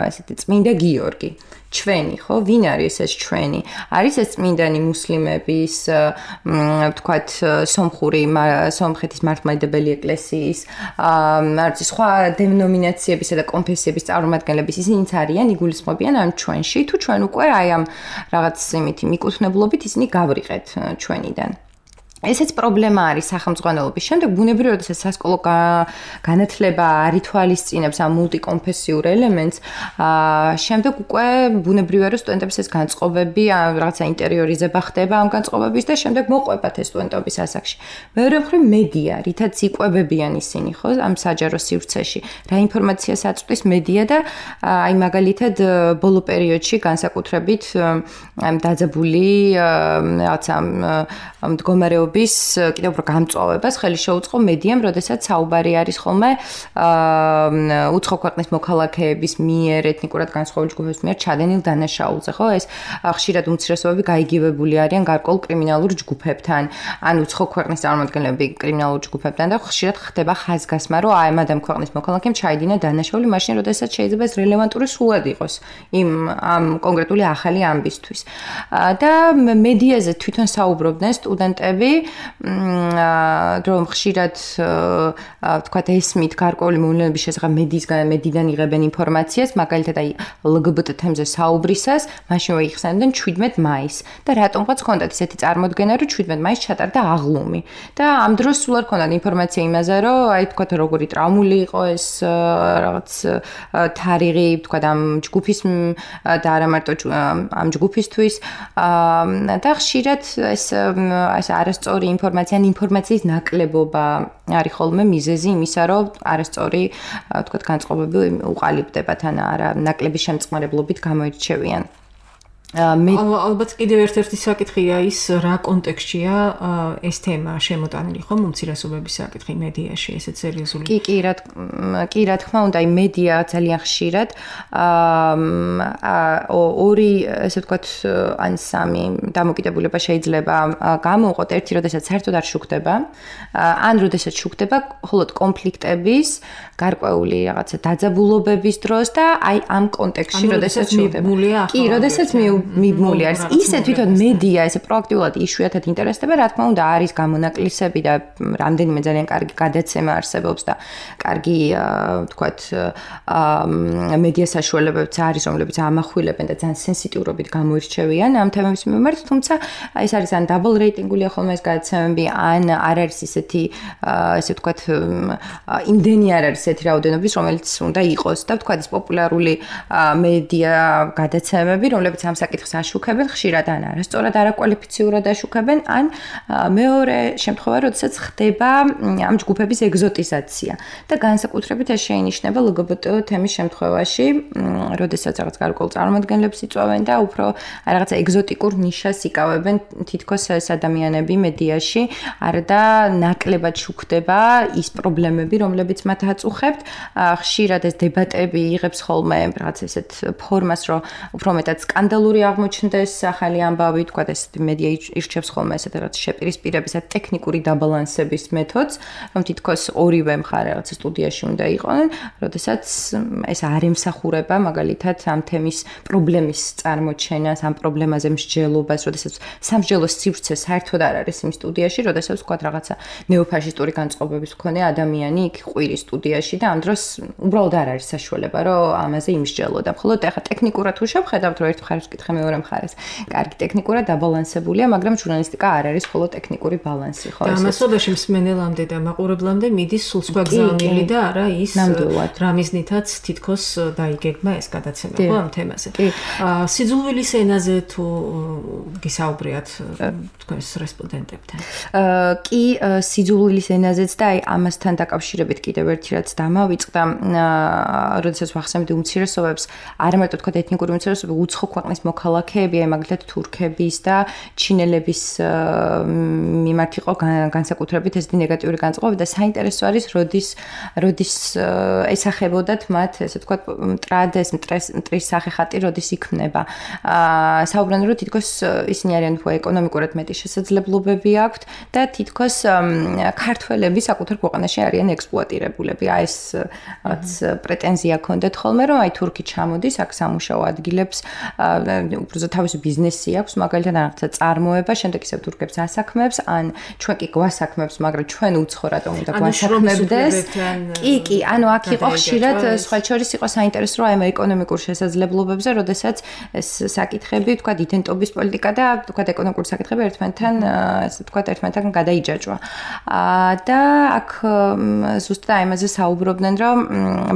Speaker 3: ესეთი წმინდა გიორგი. ჩვენი, ხო? ვინ არის ეს ჩვენი? არის ეს წმინდანი მუსლიმების, ვთქვათ, სომხური, სომხეთის მართლმადიდებელი ეკლესიის, არც სხვა დენომინაციებისა და კონფესიების წარმომადგენლების, ისინიც არიან, იგულისხმებიან ამ ჩვენში, თუ ჩვენ უკვე აი ამ რაღაც იმითი მიკუთვნებლობით ისინი გავრიყეთ ჩვენიდან. ესეც პრობლემა არის სახელმწიფოების. შემდეგ ბუნებრივია, როდესაც სასკოლო განათლება არ ითვალისწინებს ამ მულტიკონფესიურ ელემენტს, შემდეგ უკვე ბუნებრივია, რომ სტუდენტებს ეს განწყობები, რაღაცა ინტერიორიზება ხდება ამ განწყობების და შემდეგ მოყვებათ ეს სტუდენტობის ასაკში. მეორე მხრივ მედია, რითაც იკვებებიან ისინი, ხო, ამ საჯარო სივრცეში. რა ინფორმაციას აწვდის მედია და აი მაგალითად ბოლო პერიოდში განსაკუთრებით ამ დაძაბული რაღაცა მდგომარეობა კიდევ უფრო გამწვავებას ხელი შეუწყო მედიამ, როდესაც საუბარი არის ხოლმე უცხო ქვეყნის მოქალაქეების მიერ, ეთნიკურად განსხვავებული ჯგუფების მიერ ჩადენილ დანაშაულზე, ხო? ეს ხშირად უმცირესობები გაიგივებული არიან გარკვეულ კრიმინალურ ჯგუფებთან, ან უცხო ქვეყნის წარმომადგენლები კრიმინალურ ჯგუფებთან და ხშირად ხდება ხაზგასმა, რომ აი ამ ამ ქვეყნის მოქალაქემ ჩაიდინა დანაშაული მაშინ, როდესაც შეიძლება ეს რელევანტური სულად იყოს იმ ამ კონკრეტული ახალი ამბისთვის. და მედიაზე თვითონ საუბრობდნენ სტუდენტები რომ ხშირად ვთქვათ ესმით გარკვეული მოვლენების შესახებ მედიისგან მედიდან იღებენ ინფორმაციას, მაგალითად აი ელ გი ბი ტე თემზე საუბრისას, მაშინვე იხსენებდნენ შვიდმეტ მაისს და რატომღაც ჰქონდათ ისეთი წარმოდგენა, რომ შვიდმეტ მაისს ჩატარდა აღლუმი და ამ დროს სულ არ ჰქონდათ ინფორმაცია იმაზე, რომ აი ვთქვათ როგორი ტრავმული იყო ეს რაღაც თარიღი, ვთქვათ ამ ჯგუფის და არა მარტო ამ ჯგუფისთვის და ხშირად ეს ეს არასწორი ინფორმაცია ან ინფორმაციის ნაკლებობა არის ხოლმე მიზეზი იმისა, რომ არასწორი ვთქვათ განწყობები უყალიბდებათ ან არა ნაკლები შემწყნარებლობით გამოირჩევიან.
Speaker 2: ალბათ კიდევ ერთ-ერთი საკითხია ის, რა კონტექსტშია ეს თემა შემოტანილი ხომ უმცირესობების საკითხი მედიაში, ესეც სერიოზული.
Speaker 3: კი, კი, რა კი, რა თქმა უნდა, აი მედია ძალიან ხშირად ორი, ესე ვთქვათ, ან სამი დამოკიდებულება შეიძლება გამოვყოთ, ერთი, როდესაც საერთოდ არ შუქდება, ან როდესაც შუქდება მხოლოდ კონფლიქტების, გარკვეული რაღაცა დაძაბულობების დროს და აი ამ კონტექსტში, როდესაც შუქდება. კი, როდესაც მიბმული არის. ისე თვითონ მედია ესე პროაქტიულად იშვიათად ინტერესდება, რა თქმა უნდა, არის გამონაკლისები და რამდენიმე ძალიან კარგი გადაცემა არსებობს და კარგი, ვთქვათ, მედია საშუალებებიც არის, რომლებიც ამახვილებენ და ძალიან სენსიტიურობით გამოირჩევიან ამ თემების მიმართ, თუმცა ეს არის ან დაბლ რეიტინგულია ხოლმე ეს გადაცემები, ან არ არის ისეთი, ესე ვთქვათ, იმდენი არ არის ესეთი რაოდენობის, რომელიც უნდა იყოს და ვთქვათ, ეს პოპულარული მედია გადაცემები, რომლებიც ამ საკითხს აშუქებენ, ხშირად ან არასწორად არაკვალიფიციურად აშუქებენ, ან მეორე შემთხვევა, როდესაც ხდება ამ ჯგუფების ეგზოტიზაცია. და განსაკუთრებით ეს შეინიშნება ელ გი ბი ტე თემის შემთხვევაში, როდესაც რაღაც გარკვეულ წარმომადგენლებს იწვევენ და უფრო რაღაცა ეგზოტიკურ ნიშას იკავებენ თითქოს ეს ადამიანები მედიაში, არა და ნაკლებად შუქდება ის პრობლემები, რომლებიც მათ აწუხებთ. ხშირად ეს დებატები იღებს ხოლმე რაღაც ესეთ ფორმას, რომ უფრო მეტად სკანდალური აღმოჩნდეს ახალი ამბავი, თქვათ ეს მედია ირჩევს ხოლმე ესეთ რაღაც შეპირისპირების და ტექნიკური დაბალანსების მეთოდს, რომ თითქოს ორივე მხარე რაღაც სტუდიაში უნდა იყვნენ, როდესაც ეს არ ემსახურება მაგალითად ამ თემის პრობლემის წარმოჩენას, ამ პრობლემაზე მსჯელობას, როდესაც სამსჯელოს სივრცე საერთოდ არ არის იმ სტუდიაში, როდესაც თქვათ რაღაცა ნეოფაშისტური განწყობების მქონე ადამიანი იქ ყვირის სტუდიაში და ამ დროს უბრალოდ არ არის საშუალება, რომ ამაზე იმსჯელოდა. მხოლოდ ახლა ტექნიკურად თუ შევხედავთ, რომ ერთ მხარეს ვკითხე მეორე მხარეს, კარგი ტექნიკურად დაბალანსებულია, მაგრამ ჟურნალისტიკა არ არის მხოლოდ ტექნიკური ბალანსი, ხო?
Speaker 2: ამასობაში მსმენელამდე და მაყურებლამდე მიდის სულ სხვა გზავნილი და არა ის რა მიზნითაც თითქოს დაიგეგმა ეს გადაცემა, ხო, ამ თემაზე. სიძულვილის ენაზე თუ გისაუბრიათ თქვენს რესპონდენტებთან?
Speaker 3: კი, სიძულვილის ენაზეც და აი ამასთან დაკავშირებით კიდევ ერთი რაც დამავიწყდა, როდესაც ვახსენებდი უმცირესობებს, არა მარტო თქვა ეთნიკური უმცირესობები, უცხო ქვეყნის მოქალაქეები, აი მაგალითად თურქების და ჩინელების მიმართ იყო განსაკუთრებით ესეთი ნეგატიური განწყობები და საინტერესო არის, როდის როდის ესახებოდათ მათ, ესე ვთქვათ, მტრადეს, მტრის სახეხატი როდის იქმნება. აა საუბრობენ, რომ თითქოს ისინი არიან უფრო ეკონომიკურად მეტი შესაძლებლობები აქვთ და თითქოს ქართველები საკუთარ ქვეყანაში არიან ექსპლუატირებულები. აი ეს რაც პრეტენზია ქონდათ ხოლმე, რომ აი თურქი ჩამოდის აქ სამუშაო ადგილებს, უბრალოდ თავისი ბიზნესი აქვს, მაგალითად რაღაცა წარმოება, შემდეგ ისევ თურქებს ასაქმებს, ან ჩვენ კი გვასაქმებს, მაგრამ ჩვენ უცხო რატომ უნდა გვასაქმებდეს? კი, კი, ანუ აქ იყო ხშირად სხვა შორის იყო საინტერესო რომ აი ეკონომიკურ შესაძლებლობებზე, როდესაც ეს საკითხები, თქვა იდენტობის პოლიტიკა და თქვა ეკონომიკური საკითხები ერთმანეთთან, ესე თქვა ერთმანეთთან გადაიჯაჭვა. და აქ ზუსტად აი ამაზე საუბრობდნენ, რომ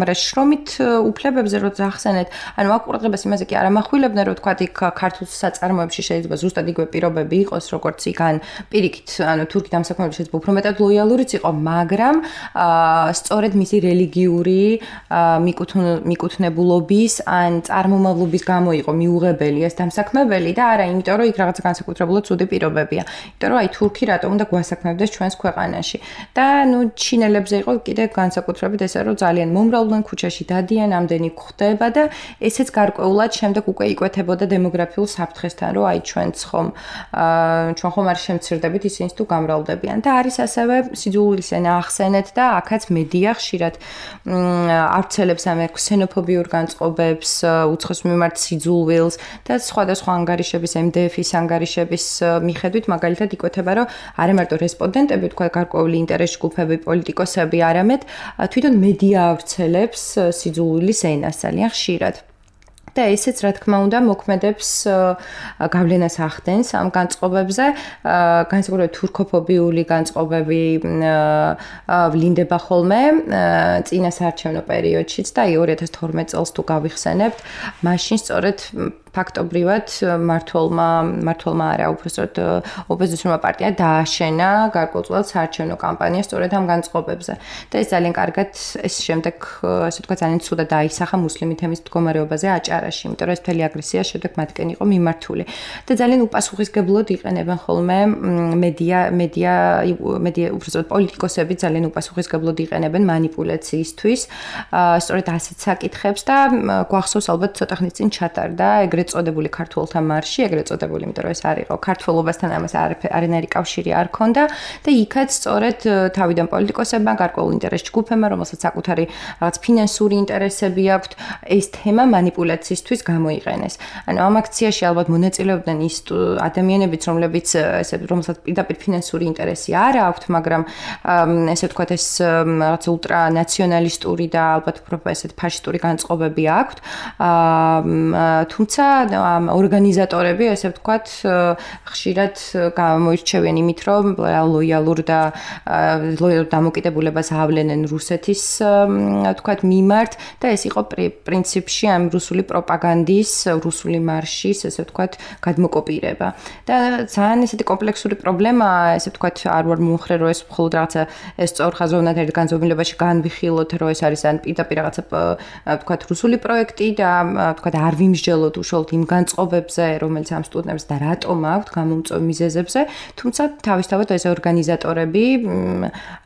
Speaker 3: მაგრამ შრომით უფლებებზე რო ძახსენეთ, ანუ აქ ყურადღებას იმაზე კი არ ამახვილებდნენ, რომ თქვა იქ ქართულ საწარმოებში შეიძლება ზუსტად იგივე პირობები იყოს, როგორც იქან პირიქით, ანუ თურქი დამსაქმებელი შეიძლება უფრო მეტად ლოიალურიც იყო, მაგრამ სწორედ მისი რელიგიური მიკუთვნებულობის ან წარმომავლობის გამო იყო მიუღებელი ეს დამსაქმებელი და არა იმიტომ, რომ იქ რაღაცა განსაკუთრებულად ცუდი პირობებია. იმიტომ, რომ აი თურქი რატომ უნდა გვასაქმებდეს ჩვენს ქვეყანაში. და ნუ ჩინელებზე იყო კიდე განსაკუთრებით ესე, რომ ძალიან მომრავლდნენ ქუჩაში დადიან, ამდენი გვხდება და ესეც გარკვეულად შემდეგ უკვე იკვეთებოდა დემოგრაფიულ საფრთხესთან, რომ აი ჩვენც ხომ ჩვენ ხომ არ შემცირდებით ისინიც თუ გამრავლდებიან. და არის ასევე სიძულვილის ენა ახსენეთ და აქაც მედია ხშირად ავრცელებს ამ ქსენოფობიურ განწყობებს, უცხოს მიმართ სიძულვილს და სხვადასხვა ანგარიშების, ემ დე ეფ-ის ანგარიშების მიხედვით მაგალითად იკვეთება, რომ არა მარტო რესპონდენტები, თქვა გარკვეული ინტერეს ჯგუფები, პოლიტიკოსები, არამედ თვითონ მედია ავრცელებს სიძულვილის ენას ძალიან ხშირად. და ესეც რა თქმა უნდა მოქმედებს გავლენას ახდენს ამ განწყობებზე, განსაკუთრებით თურქოფობიული განწყობები ვლინდება ხოლმე წინა საარჩევნო პერიოდშიც და ორი ათას თორმეტ წელს თუ გავიხსენებთ, მაშინ სწორედ ფაქტობრივად მართლმა მართლმა არა უბრალოდ ოპოზიციონერმა პარტია დააშენა გარკვეულწილად საარჩევნო კამპანია სწორედ ამ განწყობებზე და ეს ძალიან კარგად ეს შემდეგ ასე ვთქვათ ძალიან ცუდად დაისახა მუსლიმი თემის მდგომარეობაზე აჭარაში, იმიტომ რომ ეს მთელი აგრესია შემდეგ მათკენ იყო მიმართული და ძალიან უპასუხისმგებლოდ იყენებენ ხოლმე მედია მედია მედია უბრალოდ პოლიტიკოსები ძალიან უპასუხისმგებლოდ იყენებენ манипуляციისთვის სწორედ ასეთ საკითხებს და გვახსოვს ალბათ ცოტა ხნის წინ ჩატარდა ეგრეთ წოდებული ქართველთა მარში, ეგრეთ წოდებული, იმიტომ რომ ეს არ იყო ქართველობასთან ამას არანაირი კავშირი არ ქონდა და იქაც სწორედ თავიდან პოლიტიკოსებმა, გარკვეულ ინტერეს ჯგუფებმა, რომელსაც საკუთარი რაღაც ფინანსური ინტერესები აქვთ, ეს თემა манипуляციისთვის გამოიყენეს. ანუ ამ აქციაში ალბათ მონაწილეობდნენ ის ადამიანებიც, რომლებიც ესე რომელსაც პირდაპირ ფინანსური ინტერესი არ აქვთ, მაგრამ ესე ვთქვათ ეს რაღაც ულტრანაციონალისტური და ალბათ უფრო ესეთ ფაშისტური განწყობები აქვთ. თუმცა ამ ორგანიზატორები, ესე ვთქვათ, ხშირად გამოირჩევიან იმით, რომ ლოიალურ და ლოიალურ დამოკიდებულებას ავლენენ რუსეთის, ვთქვათ, მიმართ და ეს იყო პრინციპში ამ რუსული პროპაგანდის, რუსული მარშის, ესე ვთქვათ, გადმოკოპირება. და ძალიან ესეთი კომპლექსური პრობლემაა, ესე ვთქვათ, არ ვარ მომხრე, რომ ეს მხოლოდ რაღაცა ეს სწორხაზოვნად ერთ განზომილებაში განვიხილოთ, რომ ეს არის ან პირდაპირ რაღაცა, ვთქვათ, რუსული პროექტი და ვთქვათ, არ ვიმსჯელოთ უშუალოდ იმ განწყობებზე, რომელიც ამ სტუდენტებს და რატომ აქვთ გამომწვევ მიზეზებზე, თუმცა თავისთავად ეს ორგანიზატორები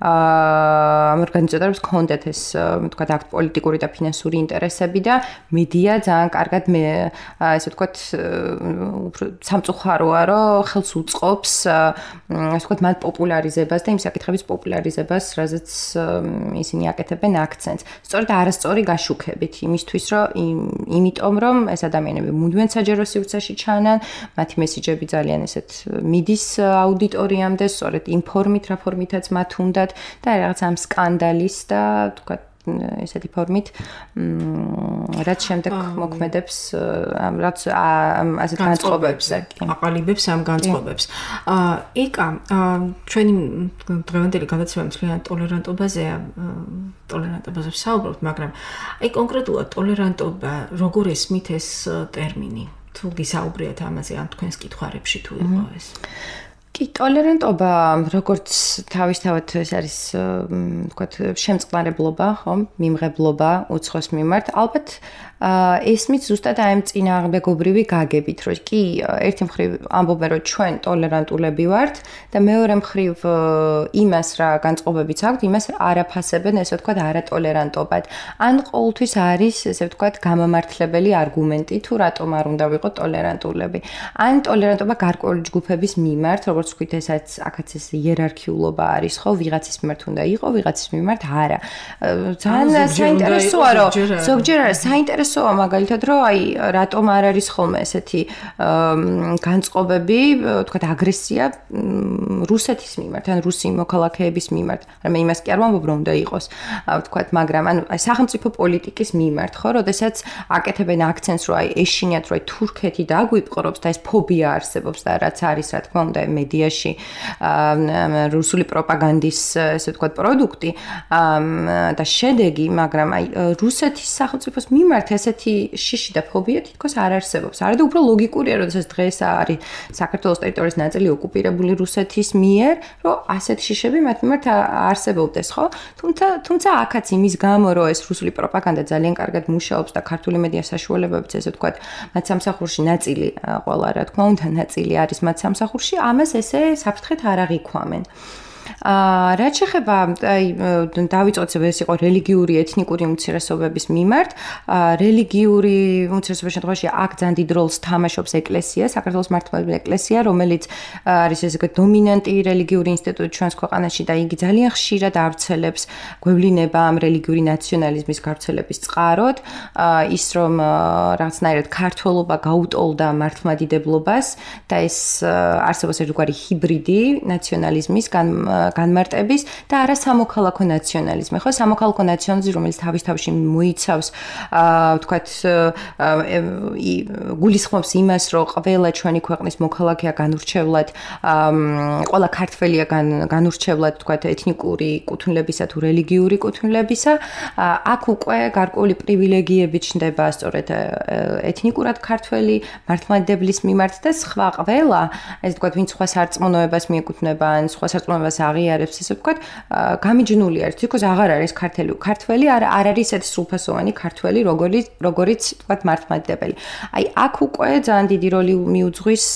Speaker 3: ამ ორგანიზატორებს ჰქონდათ ეს, ვთქვათ, აქ პოლიტიკური და ფინანსური ინტერესები და მედია ძალიან კარგად მე ესე ვთქვათ, სამწუხაროა, რომ ხელს უწყობს ასე ვთქვათ, მათ პოპულარიზებას და იმ საკითხების პოპულარიზებას, რაზეც ისინი აკეთებენ აქცენტს. სწორედ არასწორი გაშუქებით იმისთვის, რომ იმიტომ რომ ეს ადამიანები მუდმივად საჯარო სივრცეში ჩანან, მათი მესიჯები ძალიან ესეთ მიდის აუდიტორიამდე, სწორედ იმ ფორმით, რა ფორმითაც მათ უნდათ და რაღაც ამ სკანდალის და თქვა ესეთი ფორმით, რაც შემდეგ მოქმედებს ამ რაც ასეთ განწყობებზე,
Speaker 2: აყალიბებს ამ განწყობებს. ეკა, ჩვენი დღევანდელი გადაცემა მთლიან ტოლერანტობაზეა, ტოლერანტობაზე ვსაუბრობთ, მაგრამ აი კონკრეტულად ტოლერანტობა როგორ ესმით ეს ტერმინი? თუ გისაუბრიათ ამაზე, ან თქვენს კითხვარებში თუ იყო ეს?
Speaker 3: კი, ტოლერანტობა, როგორც თავისთავად ეს არის, თქვათ, შემწყნარებლობა, ხო, მიმღებლობა უცხოს მიმართ. ალბათ ესმის ზუსტად აი ამ წინააღმდეგობრივი გაგებით, რომ კი, ერთი მხრივ ამბობენ, რომ ჩვენ ტოლერანტულები ვართ და მეორე მხრივ იმას რა განწყობებიც აქვთ, იმას არაფასებენ, ესე ვთქვათ, არატოლერანტობად. ან ყოველთვის არის, ესე ვთქვათ, გამამართლებელი არგუმენტი, თუ რატომ არ უნდა ვიყოთ ტოლერანტულები. ან ტოლერანტობა გარკვეული ჯგუფების მიმართ, როგორც ვთქვით, ესაც აქაც ეს იერარქიულობა არის, ხო, ვიღაცის მიმართ უნდა იყო, ვიღაცის მიმართ არა. ძალიან საინტერესოა, რომ ზოგჯერ არის საინტერესოა მაგალითად, რომ აი რატომ არ არის ხოლმე ესეთი განწყობები, ვთქვათ, აგრესია რუსეთის მიმართ, ან რუსი მოქალაქეების მიმართ. რამე იმას კი არ ვამბობ, რომ უნდა იყოს, ვთქვათ, მაგრამ ანუ აი სახელმწიფო პოლიტიკის მიმართ, ხო, როდესაც აკეთებენ აქცენტს, რომ აი ეშინიათ, რომ აი თურქეთი დაგვიპყრობს და ეს ფობია არსებობს და რაც არის, რა თქმა უნდა, მედიაში რუსული პროპაგანდის, ესე ვთქვათ, პროდუქტი და შედეგი, მაგრამ აი რუსეთის სახელმწიფოს მიმართ ესეთი შიში და ფობია თითქოს არ არსებობს. არა და უფრო ლოგიკურია, როდესაც დღეს არის საქართველოს ტერიტორიის ნაწილი ოკუპირებული რუსეთის მიერ, რომ ასეთ შიშები მათ მიმართ არსებობდეს, ხო? თუმცა თუმცა აქაც იმის გამო, რომ ეს რუსული პროპაგანდა ძალიან კარგად მუშაობს და ქართული მედია საშუალებებიც, ესე ვთქვათ, მათ სამსახურში ნაწილი, ყველა რა თქმა უნდა, ნაწილი არის მათ სამსახურში, ამას ესე საფრთხეთ არ აღიქვამენ. აა რაც შეეხება აი დავიწყოთ ეს იყო რელიგიური ეთნიკური უმცირესობების მიმართ. აა რელიგიური უმცირესობების შემთხვევაში აქ ძალიან დიდ როლს თამაშობს ეკლესია, საქართველოს მართლმადიდებელი ეკლესია, რომელიც არის ესე დომინანტი რელიგიური ინსტიტუტი ჩვენს ქვეყანაში და იგი ძალიან ხშირად ავრცელებს გვევლინება ამ რელიგიური ნაციონალიზმის გავრცელების წყაროდ. აა ის რომ რაღაცნაირად ქართველობა გაუტოლდა მართლმადიდებლობას და ეს არსებობს ერთგვარი ჰიბრიდი ნაციონალიზმის განმარტების და არა სამოქალაქო ნაციონალიზმი. ხო, სამოქალაქო ნაციონალიზმი, რომელიც თავის თავში მოიცავს, აა ვთქვათ, გულისხმობს იმას, რომ ყველა ჩვენი ქვეყნის მოქალაქეა განურჩევლად, ყველა ქართველია განურჩევლად, ვთქვათ, ეთნიკური კუთვნილებისა თუ რელიგიური კუთვნილებისა. აქ უკვე გარკვეული პრივილეგიები ჩნდება სწორედ ეთნიკურად ქართველი მართლმადიდებლის მიმართ და სხვა ყველა, ესე ვთქვათ, ვინც სხვა სარწმუნოებას მიეკუთვნება, ან სხვა სარწმუნოებას აღიარებს, ესე ვთქვათ, გამიჯნული არის, თქოს აღარ არის ქართველი, ქართველი არ არ არის ესეთი სრულფასოვანი ქართველი, როგორც როგორც ვთქვათ მართლმადიდებელი. აი, აქ უკვე ძალიან დიდი როლი მიუძღვის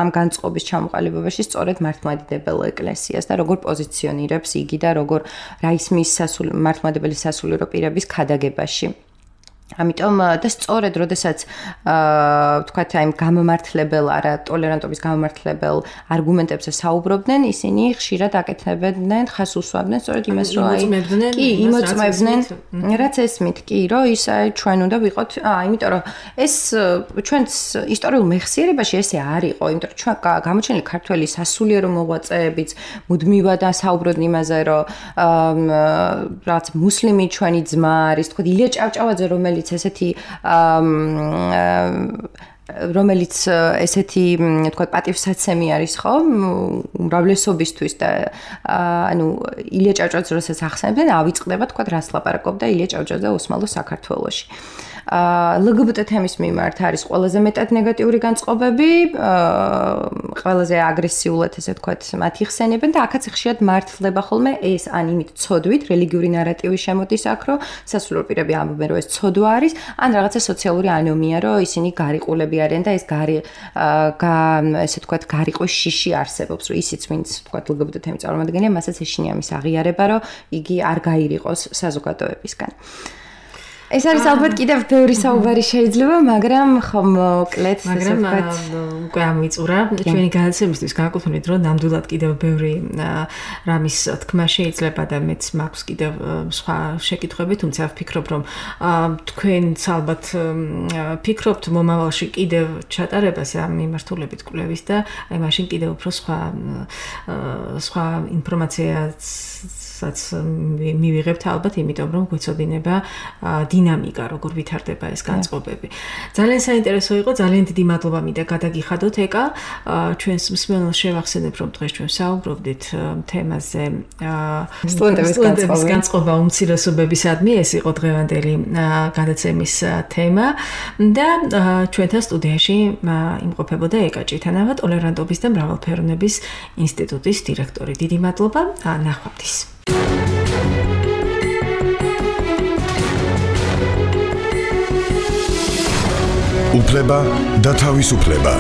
Speaker 3: ამ განწყობის ჩამოყალიბებაში სწორედ მართლმადიდებელ ეკლესიას და როგორ პოზიციონირებს იგი და როგორ რა ისმის სასულ მართლმადიდებელი სასულიერო პირების ქადაგებაში. ამიტომ და სწორედ როდესაც აა ვთქვათ აი გამომართლებელ არა ტოლერანტობის გამომართლებელ არგუმენტებზე საუბრობდნენ, ისინი ხშირად აკეთებდნენ, ხას უსვამდნენ სწორედ იმას, რომ აი კი იმოწმებდნენ, რაც ესმით, კი, რომ ის აი ჩვენ უნდა ვიყოთ, აა იმიტომ რომ ეს ჩვენს ისტორიულ მეხსიერებაში ესე არ იყო, იმიტომ რომ ჩვენ გამოჩენილი ქართველი სასულიერო მოღვაწეებიც მუდმივად საუბრობდნენ იმაზე, რომ რაც მუსლიმი ჩვენი ძმა არის, თქვა ილია ჭავჭავაძე, რომელიც ესეთი რომელიც ესეთი თქვა პატივსაცემი არის ხო უმრავლესობისთვის და ანუ ილია ჭავჭავაძე როსაც ახსენებდნენ ავიწყდება თქვა რას ლაპარაკობდა ილია ჭავჭავაძე ოსმალო საქართველოში. ლგბტ თემის მიმართ არის ყველაზე მეტად ნეგატიური განწყობები, ყველაზე აგრესიულად ესე ვთქვათ, მათ იხსენებენ და აქაც ხშირად მართლდება ხოლმე ეს ან იმით ცოდვით, რელიგიური ნარატივი შემოდის აქ, რომ სასულიერო პირები ამბობენ, რომ ეს ცოდვა არის, ან რაღაცა სოციალური ანომია, რომ ისინი გარიყულები არიან და ეს გარი ესე ვთქვათ, გარიყვის შიში არსებობს, რომ ისიც ვინც ვთქვათ, ლგბტ თემის წარმომადგენელია, მასაც ეშინია მის აღიარება, რომ იგი არ გაირიყოს საზოგადოებისგან. ეს არის ალბათ კიდევ ბევრი საუბარი შეიძლება, მაგრამ ხომ მოკლედ
Speaker 2: ესე ვთქვათ, უკვე ამიწურა ჩვენი განაცემისთვის განკუთვნილ დრო ნამდვილად კიდევ ბევრი რამის თქმა შეიძლება და მეც მაქვს კიდევ სხვა შეკითხვები, თუმცა ვფიქრობ, რომ თქვენც ალბათ ფიქრობთ მომავალში კიდევ ჩატარებას ამ მიმართულებით კვლევის და აი მაშინ კიდევ უფრო სხვა სხვა ინფორმაციაც რომელსაც მივიღებთ ალბათ, იმიტომ რომ გვეცოდინება დინამიკა, როგორ ვითარდება ეს განწყობები. ძალიან საინტერესო იყო, ძალიან დიდი მადლობა მინდა გადაგიხადოთ ეკა. ჩვენს მსმენელს შევახსენებ, რომ დღეს ჩვენ საუბრობდით თემაზე სტუდენტების განწყობა უმცირესობებისადმი, ეს იყო დღევანდელი გადაცემის თემა და ჩვენთან სტუდიაში იმყოფებოდა ეკა ჭითანავა, ტოლერანტობის და მრავალფეროვნების ინსტიტუტის დირექტორი. დიდი მადლობა, ნახვამდის.
Speaker 1: უფლება და თავისუფლება.